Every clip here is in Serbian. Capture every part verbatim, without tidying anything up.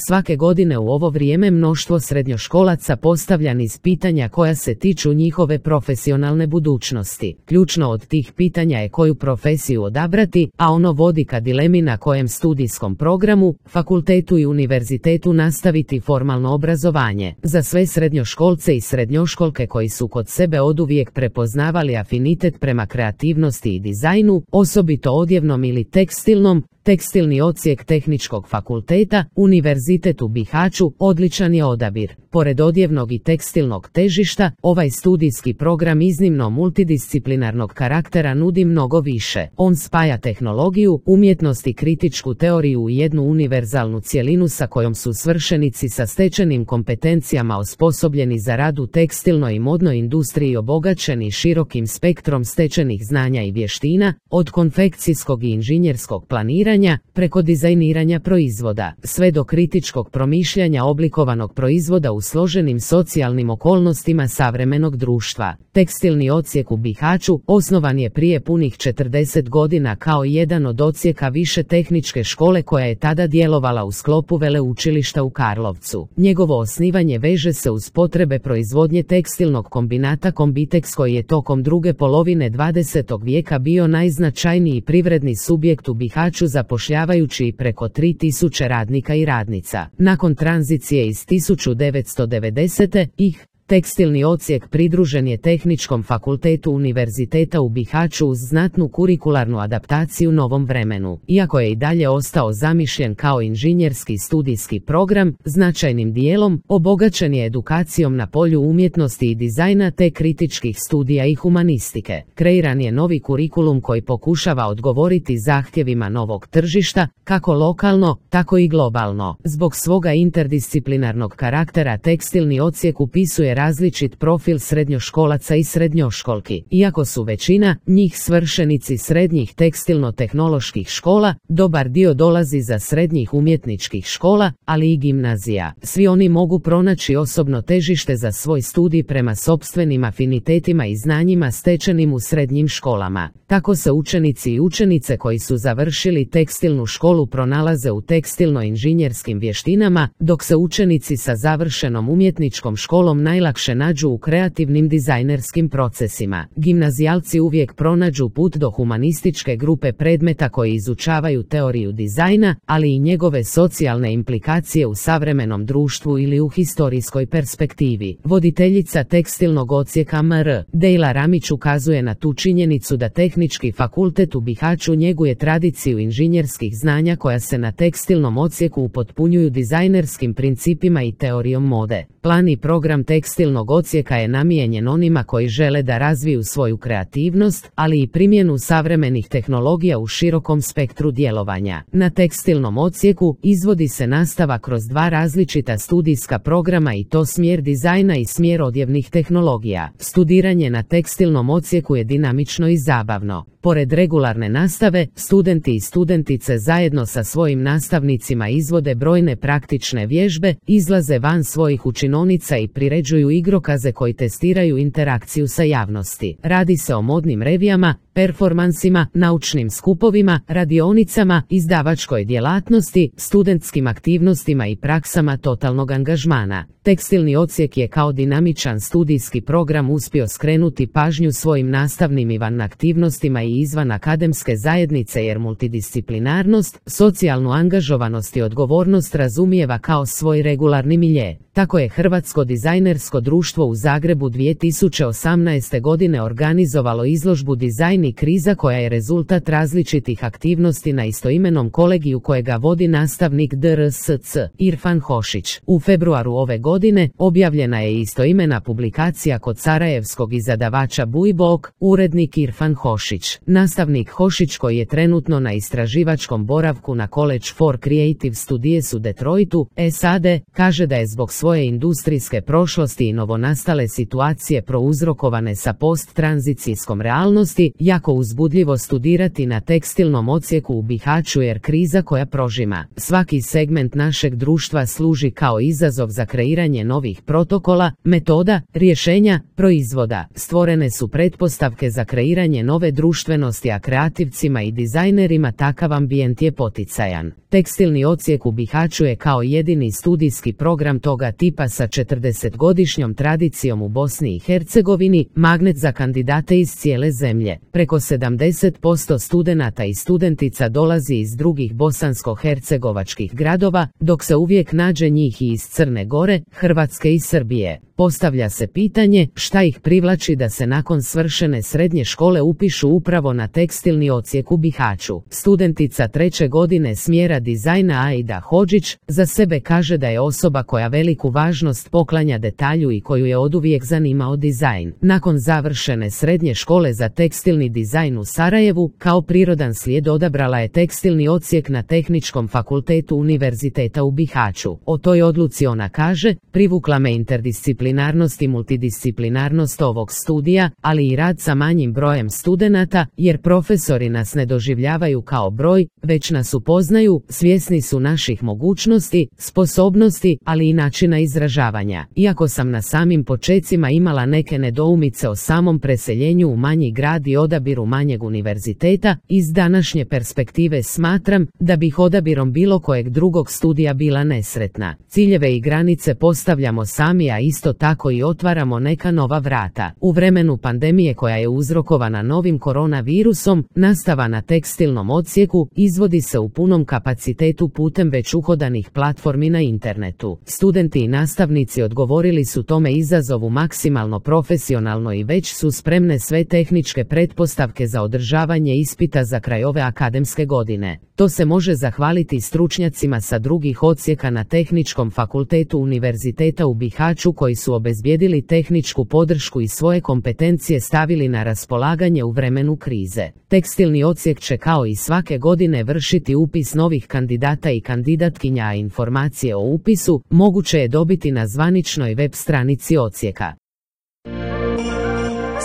Svake godine u ovo vrijeme mnoštvo srednjoškolaca postavlja niz pitanja koja se tiču njihove profesionalne budućnosti. Ključno od tih pitanja je koju profesiju odabrati, a ono vodi ka dilemi na kojem studijskom programu, fakultetu i univerzitetu nastaviti formalno obrazovanje. Za sve srednjoškolce i srednjoškolke koji su kod sebe oduvijek prepoznavali afinitet prema kreativnosti i dizajnu, osobito odjevnom ili tekstilnom, tekstilni odsjek Tehničkog fakulteta, Univerzitet u Bihaću, odličan je odabir. Pored odjevnog i tekstilnog težišta, ovaj studijski program iznimno multidisciplinarnog karaktera nudi mnogo više. On spaja tehnologiju, umjetnost i kritičku teoriju u jednu univerzalnu cjelinu sa kojom su svršenici sa stečenim kompetencijama osposobljeni za rad u tekstilnoj i modnoj industriji obogaćeni širokim spektrom stečenih znanja i vještina, od konfekcijskog i inženjerskog planiranja, preko dizajniranja proizvoda, sve do kritičkog promišljanja oblikovanog proizvoda u složenim socijalnim okolnostima savremenog društva. Tekstilni odsjek u Bihaću osnovan je prije punih četrdeset godina kao jedan od odsjeka više tehničke škole koja je tada djelovala u sklopu veleučilišta u Karlovcu. Njegovo osnivanje veže se uz potrebe proizvodnje tekstilnog kombinata Kombiteks koji je tokom druge polovine dvadesetog vijeka bio najznačajniji privredni subjekt u Bihaću zapošljavajući i preko tri tisuće radnika i radnica. Nakon tranzicije iz tisuću devetsto devedesete. ih Tekstilni odsjek pridružen je Tehničkom fakultetu Univerziteta u Bihaću uz znatnu kurikularnu adaptaciju novom vremenu. Iako je i dalje ostao zamišljen kao inženjerski studijski program, značajnim dijelom obogaćen je edukacijom na polju umjetnosti i dizajna te kritičkih studija i humanistike. Kreiran je novi kurikulum koji pokušava odgovoriti zahtjevima novog tržišta, kako lokalno, tako i globalno. Zbog svoga interdisciplinarnog karaktera tekstilni odsjek upisuje različit profil srednjoškolaca i srednjoškolki. Iako su većina njih svršenici srednjih tekstilno-tehnoloških škola, dobar dio dolazi za srednjih umjetničkih škola, ali i gimnazija. Svi oni mogu pronaći osobno težište za svoj studij prema sopstvenim afinitetima i znanjima stečenim u srednjim školama. Tako se učenici i učenice koji su završili tekstilnu školu pronalaze u tekstilno-inženjerskim vještinama, dok se učenici sa završenom umjetničkom školom najlakše nađu u kreativnim dizajnerskim procesima. Gimnazijalci uvijek pronađu put do humanističke grupe predmeta koji izučavaju teoriju dizajna, ali i njegove socijalne implikacije u savremenom društvu ili u historijskoj perspektivi. Voditeljica tekstilnog odsjeka M R Dejla Ramić ukazuje na tu činjenicu da Tehnički fakultet u Bihaću njeguje tradiciju inženjerskih znanja koja se na tekstilnom odsjeku upotpunjuju dizajnerskim principima i teorijom mode. Plan i program tekstilnog odsjeka je namijenjen onima koji žele da razviju svoju kreativnost, ali i primjenu savremenih tehnologija u širokom spektru djelovanja. Na tekstilnom odsjeku izvodi se nastava kroz dva različita studijska programa i to smjer dizajna i smjer odjevnih tehnologija. Studiranje na tekstilnom odsjeku je dinamično i zabavno. Pored regularne nastave, studenti i studentice zajedno sa svojim nastavnicima izvode brojne praktične vježbe, izlaze van svojih učinonica i priređuju igrokaze koji testiraju interakciju sa javnosti. Radi se o modnim revijama, performansima, naučnim skupovima, radionicama, izdavačkoj djelatnosti, studentskim aktivnostima i praksama totalnog angažmana. Tekstilni odsjek je kao dinamičan studijski program uspio skrenuti pažnju svojim nastavnim i van aktivnostima i izvan akademske zajednice jer multidisciplinarnost, socijalnu angažovanost i odgovornost razumijeva kao svoj regularni milje. Tako je Hrvatsko dizajnersko društvo u Zagrebu dvije tisuće osamnaeste. godine organizovalo izložbu Dizajn i kriza koja je rezultat različitih aktivnosti na istoimenom kolegiju kojega vodi nastavnik D R S C Irfan Hošić. U februaru ove godine objavljena je istoimena publikacija kod sarajevskog izdavača Bujbok, urednik Irfan Hošić. Nastavnik Hošić koji je trenutno na istraživačkom boravku na College for Creative Studies u Detroitu, S A D, kaže da je zbog svoje industrijske prošlosti i novonastale situacije prouzrokovane sa posttranzicijskom realnosti, jako uzbudljivo studirati na tekstilnom odsjeku u Bihaću jer kriza koja prožima svaki segment našeg društva služi kao izazov za kreiranje novih protokola, metoda, rješenja, proizvoda. Stvorene su pretpostavke za kreiranje nove društvenosti, a kreativcima i dizajnerima takav ambijent je poticajan. Tekstilni odsjek u Bihaću je kao jedini studijski program toga tipa sa četrdesetgodišnjom tradicijom u Bosni i Hercegovini magnet za kandidate iz cijele zemlje. Preko sedamdeset posto studenata i studentica dolazi iz drugih bosansko-hercegovačkih gradova, dok se uvijek nađe njih i iz Crne Gore, Hrvatske i Srbije. Postavlja se pitanje šta ih privlači da se nakon svršene srednje škole upišu upravo na tekstilni odsjek u Bihaću. Studentica treće godine smjera dizajna Aida Hodžić za sebe kaže da je osoba koja veliku važnost poklanja detalju i koju je oduvijek zanimao dizajn. Nakon završene srednje škole za tekstilni dizajn u Sarajevu, kao prirodan slijed odabrala je tekstilni odsjek na Tehničkom fakultetu Univerziteta u Bihaću. O toj odluci ona kaže, privukla me interdisciplinarnost i multidisciplinarnost ovog studija, ali i rad sa manjim brojem studenata, jer profesori nas ne doživljavaju kao broj, već nas upoznaju, svjesni su naših mogućnosti, sposobnosti, ali i načina izražavanja. Iako sam na samim počecima imala neke nedoumice o samom preseljenju u manji grad i odabiru manjeg univerziteta, iz današnje perspektive smatram da bih odabirom bilo kojeg drugog studija bila nesretna. Ciljeve i granice postavljamo sami, a isto tako i otvaramo neka nova vrata. U vremenu pandemije koja je uzrokovana novim koronavirusom, nastava na tekstilnom odsjeku izvodi se u punom kapacitetu putem već uhodanih platformi na internetu. Studenti i nastavnici odgovorili su tome izazovu maksimalno profesionalno i već su spremne sve tehničke pretpostavke za održavanje ispita za kraj ove akademske godine. To se može zahvaliti stručnjacima sa drugih odsjeka na Tehničkom fakultetu Univerziteta u Bihaću koji su obezbijedili tehničku podršku i svoje kompetencije stavili na raspolaganje u vremenu krize. Tekstilni odsjek će kao i svake godine vršiti upis novih kandidata i kandidatkinja, a informacije o upisu moguće je dobiti na zvaničnoj web stranici odsjeka.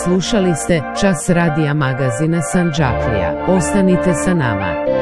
Slušali ste Čas radija magazina Sandžaklija. Ostanite sa nama.